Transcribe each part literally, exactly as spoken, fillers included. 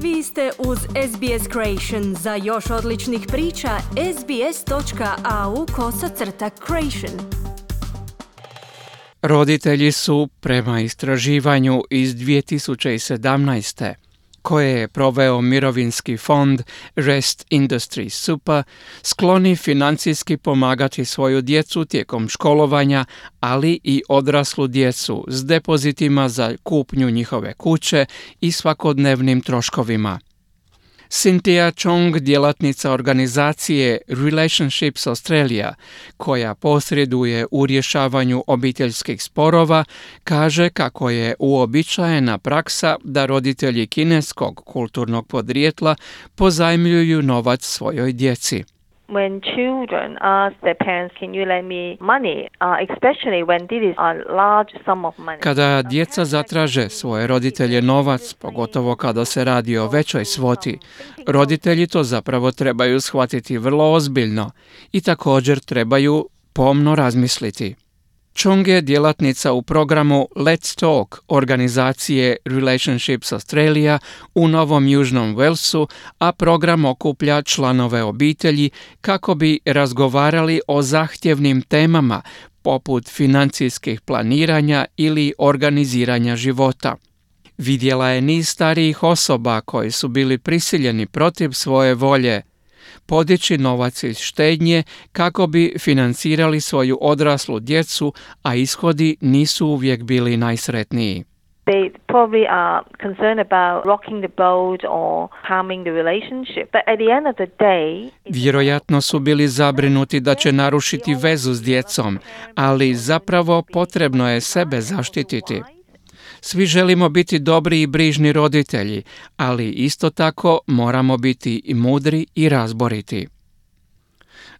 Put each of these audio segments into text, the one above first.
Vi ste uz S B S Creation. Za još odličnih priča, sbs.au kosacrta creation. Roditelji su, prema istraživanju iz dvije tisuće sedamnaeste. koje je proveo mirovinski fond Rest Industries Super, skloni financijski pomagati svoju djecu tijekom školovanja, ali i odraslu djecu s depozitima za kupnju njihove kuće i svakodnevnim troškovima. Cynthia Chong, djelatnica organizacije Relationships Australia, koja posreduje u rješavanju obiteljskih sporova, kaže kako je uobičajena praksa da roditelji kineskog kulturnog podrijetla pozajmljuju novac svojoj djeci. When children ask their parents, can you lend me money, uh, especially when this is a large sum of money. Kada djeca zatraže svoje roditelje novac, pogotovo kada se radi o većoj svoti, roditelji to zapravo trebaju shvatiti vrlo ozbiljno i također trebaju pomno razmisliti. Chong je djelatnica u programu Let's Talk organizacije Relationships Australia u Novom Južnom Walesu, a program okuplja članove obitelji kako bi razgovarali o zahtjevnim temama poput financijskih planiranja ili organiziranja života. Vidjela je niz starijih osoba koji su bili prisiljeni protiv svoje volje podići novac iz štednje kako bi financirali svoju odraslu djecu, a ishodi nisu uvijek bili najsretniji. They probably are concerned about rocking the boat or harming the relationship. But at the end of the day, Vjerojatno su bili zabrinuti da će narušiti vezu s djecom, ali zapravo potrebno je sebe zaštititi. Svi želimo biti dobri i brižni roditelji, ali isto tako moramo biti i mudri i razboriti.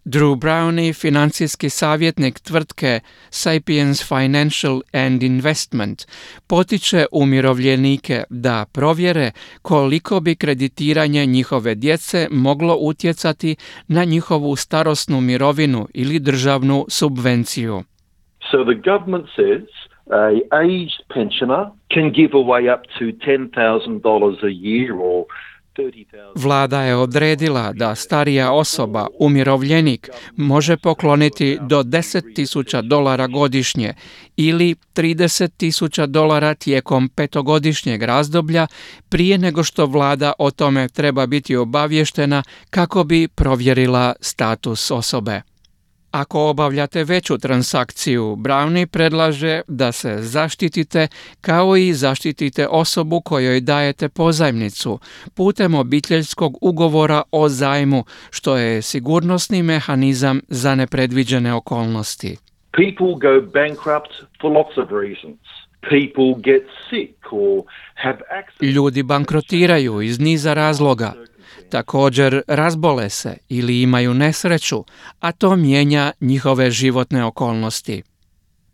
Drew Brownie, financijski savjetnik tvrtke Sapiens Financial and Investment, potiče umirovljenike da provjere koliko bi kreditiranje njihove djece moglo utjecati na njihovu starosnu mirovinu ili državnu subvenciju. So the government says a aged pensioner can give away up to ten thousand dollars a year or thirty thousand. Vlada je odredila da starija osoba, umirovljenik, može pokloniti do deset tisuća dolara godišnje ili trideset tisuća dolara tijekom petogodišnjeg razdoblja prije nego što vlada o tome treba biti obavještena kako bi provjerila status osobe. Ako obavljate veću transakciju, Brownie predlaže da se zaštitite kao i zaštitite osobu kojoj dajete pozajmnicu putem obiteljskog ugovora o zajmu, što je sigurnosni mehanizam za nepredviđene okolnosti. People go bankrupt for lots of reasons. People get sick or have accidents. Ljudi bankrotiraju iz niza razloga. Također razbole se ili imaju nesreću, a to mijenja njihove životne okolnosti.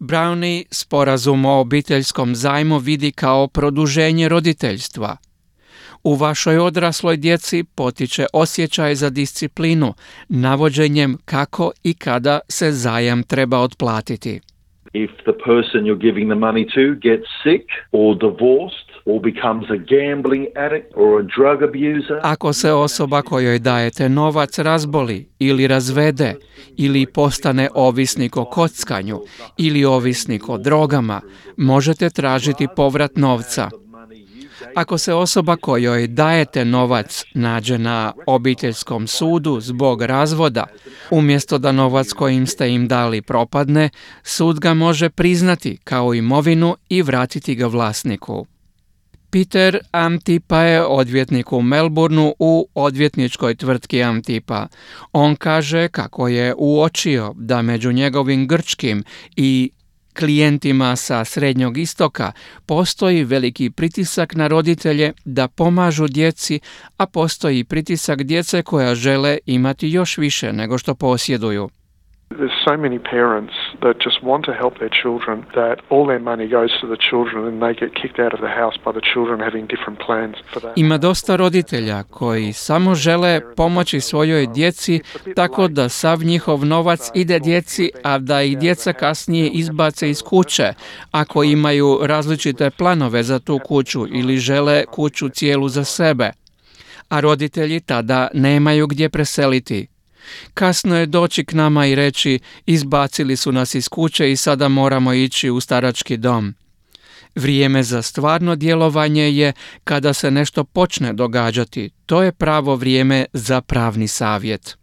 Brownie sporazum o obiteljskom zajmu vidi kao produženje roditeljstva. U vašoj odrasloj djeci potiče osjećaj za disciplinu, navođenjem kako i kada se zajam treba otplatiti. If the person you're giving the money to gets sick or divorced or becomes a gambling addict or a drug abuser. Ako se osoba kojoj dajete novac razboli ili razvede ili postane ovisnik o kockanju ili ovisnik o drogama, možete tražiti povrat novca. Ako se osoba kojoj dajete novac nađe na obiteljskom sudu zbog razvoda, umjesto da novac kojim ste im dali propadne, sud ga može priznati kao imovinu i vratiti ga vlasniku. Peter Amtipa je odvjetnik u Melbourneu u odvjetničkoj tvrtki Amtipa. On kaže kako je uočio da među njegovim grčkim i klijentima sa Srednjog istoka postoji veliki pritisak na roditelje da pomažu djeci, a postoji pritisak djece koja žele imati još više nego što posjeduju. There's so many parents that just want to help their children that all their money goes to the children and they get kicked out of the house by the children having different plans for that. Ima dosta roditelja koji samo žele pomoći svojoj djeci tako da sav njihov novac ide djeci, a da ih djeca kasnije izbace iz kuće ako imaju različite planove za tu kuću ili žele kuću cijelu za sebe. a roditelji tada nemaju gdje preseliti. Kasno je doći k nama i reći izbacili su nas iz kuće i sada moramo ići u starački dom. Vrijeme za stvarno djelovanje je kada se nešto počne događati. To je pravo vrijeme za pravni savjet.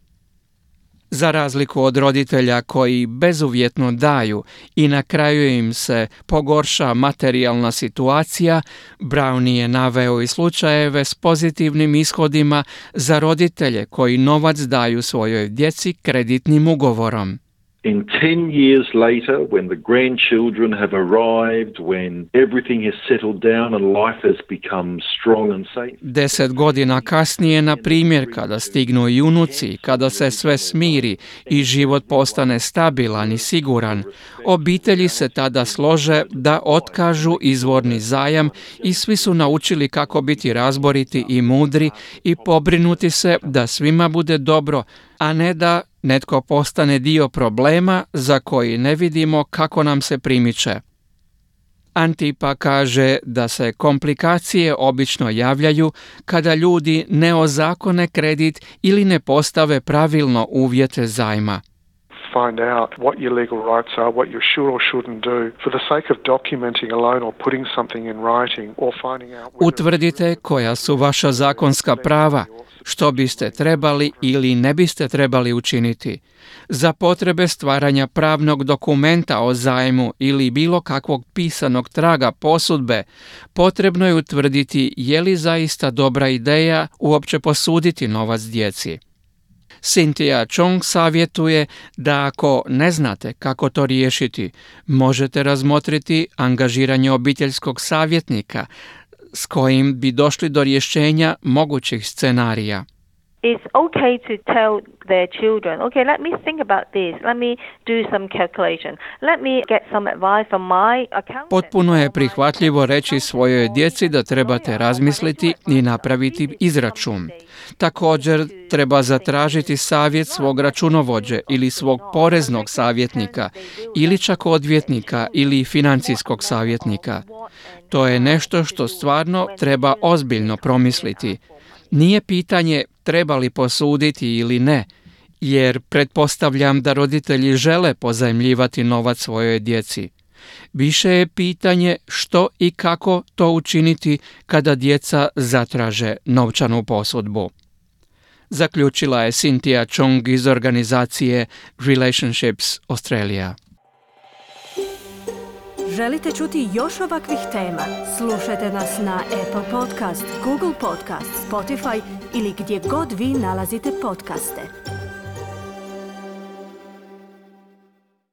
Za razliku od roditelja koji bezuvjetno daju i na kraju im se pogorša materijalna situacija, Brownie je naveo i slučajeve s pozitivnim ishodima za roditelje koji novac daju svojoj djeci kreditnim ugovorom. In ten years later, when the grandchildren have arrived, when everything has settled down and life has become strong and safe. Deset godina kasnije, na primjer, kada stignu i unuci, kada se sve smiri i život postane stabilan i siguran, obitelji se tada slože da otkažu izvorni zajam i svi su naučili kako biti razboriti i mudri i pobrinuti se da svima bude dobro, a ne da netko postane dio problema za koji ne vidimo kako nam se primiče. Antipa kaže da se komplikacije obično javljaju kada ljudi ne ozakone kredit ili ne postave pravilno uvjete zajma. Find out what your legal rights are, what you should or shouldn't do for the sake of documenting a loan or putting something in writing or finding out... Utvrdite koja su vaša zakonska prava, što biste trebali ili ne biste trebali učiniti. Za potrebe stvaranja pravnog dokumenta o zajmu ili bilo kakvog pisanog traga posudbe, potrebno je utvrditi je li zaista dobra ideja uopće posuditi novac djeci. Cynthia Chong savjetuje da ako ne znate kako to riješiti, možete razmotriti angažiranje obiteljskog savjetnika s kojim bi došli do rješenja mogućih scenarija. It's okay to tell their children, okay, let me think about this, let me do some calculation, let me get some advice from my accountant. Potpuno je prihvatljivo reći svojoj djeci da trebate razmisliti i napraviti izračun. Također treba zatražiti savjet svog računovođe ili svog poreznog savjetnika ili čak odvjetnika ili financijskog savjetnika. To je nešto što stvarno treba ozbiljno promisliti. Nije pitanje treba li posuditi ili ne, jer pretpostavljam da roditelji žele pozajmljivati novac svojoj djeci. Više je pitanje što i kako to učiniti kada djeca zatraže novčanu posudbu. Zaključila je Cynthia Chong iz organizacije Relationships Australia. Želite čuti još ovakvih tema? Slušajte nas na Apple Podcast, Google Podcast, Spotify ili gdje god vi nalazite podcaste.